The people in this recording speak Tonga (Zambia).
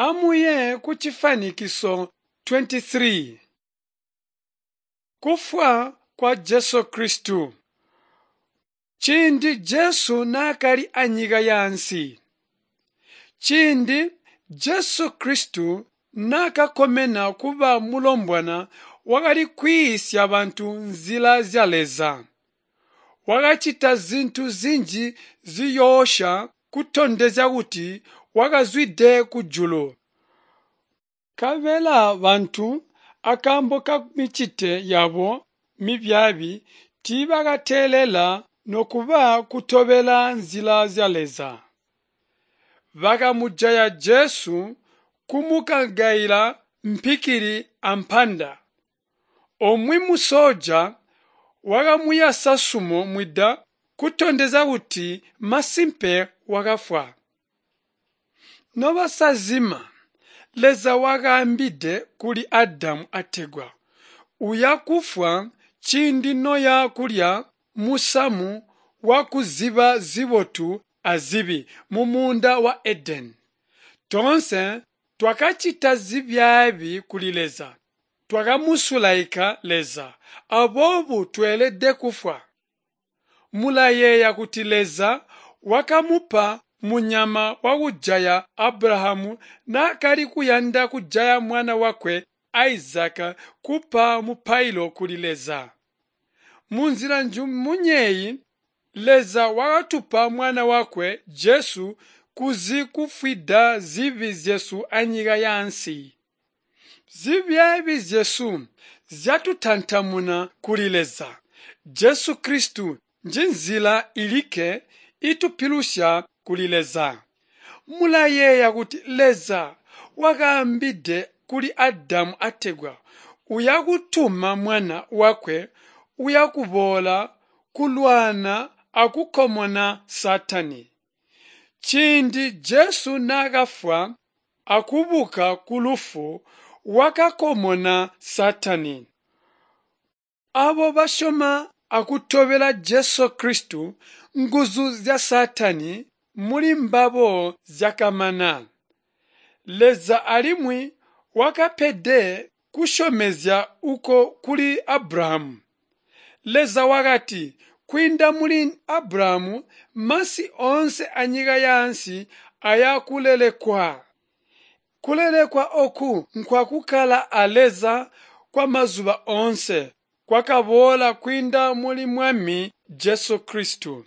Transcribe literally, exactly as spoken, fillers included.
Amuye kucifwanikiso twenty-three. Kufwa kwa Jesu Kristu. Ciindi Jesu naakali anyika yaansi. Ciindi Jesu Kristu naakakomena kuba mulombwana wakali kwiisya bantu nzila zya Leza. Wakacita zintu zinji ziyoosya kutondezya kuti wakazwide kujulu. Nkabela bantu akaambo kamicito yabo mibyaabi tiibakateelela nokuba kutobela nzila zya Leza. Bakamujaya Jesu kumukagaila mpikili ampanda. Umwi musoja wakamuyasa sumo mwida kutondezya kuti masimpe wakafwa. Nobasazima, Leza wakaambide kuli Adamu ategwa, uya kufwa ciindi noya kulya musamu wakuziba zibotu azibi mumuunda wa Edeni. Toonse twakacita zibyaabi kuli Leza. Twakamusulaika Leza, aboobo tweelede kufwa. Mulayeeya kuti Leza wakamupa munyama wakujaya Abrahamu naakali kuyanda kujaya mwana wakwe Isaka kupa mupailo kuli Leza. Munzila njimunya Leza wakatupa mwana wakwe Jesu kuzi kufwida zibi zyesu anyika yaansi. Zibyaabi zyesu zyatutantamuna kuli Leza. Jesu Kristu njinzila ilikke itupilusya kuli Leza. Mulayeeya kuti Leza wakaambide kuli Adamu ategwa uya kutuma mwana wakwe uya kuboola kulwana akukomona Saatani. Ciindi Jesu naakafwa akubuka kulufu wakakomona Saatani. Abo basyoma akutobela Jesu Kristu, nguzu zya Saatani muli mbabo zyakamana. Leza alimwi wakapede kusyomezya uko kuli Abrahamu. Leza wakati kwiinda muli Abrahamu masi oonse anyika yaansi aya kulelekwa. Kulelekwa oku nkwakukkala a Leza kwamazuba oonse kwakaboola kwiinda muli Mwami Jesu Kristu.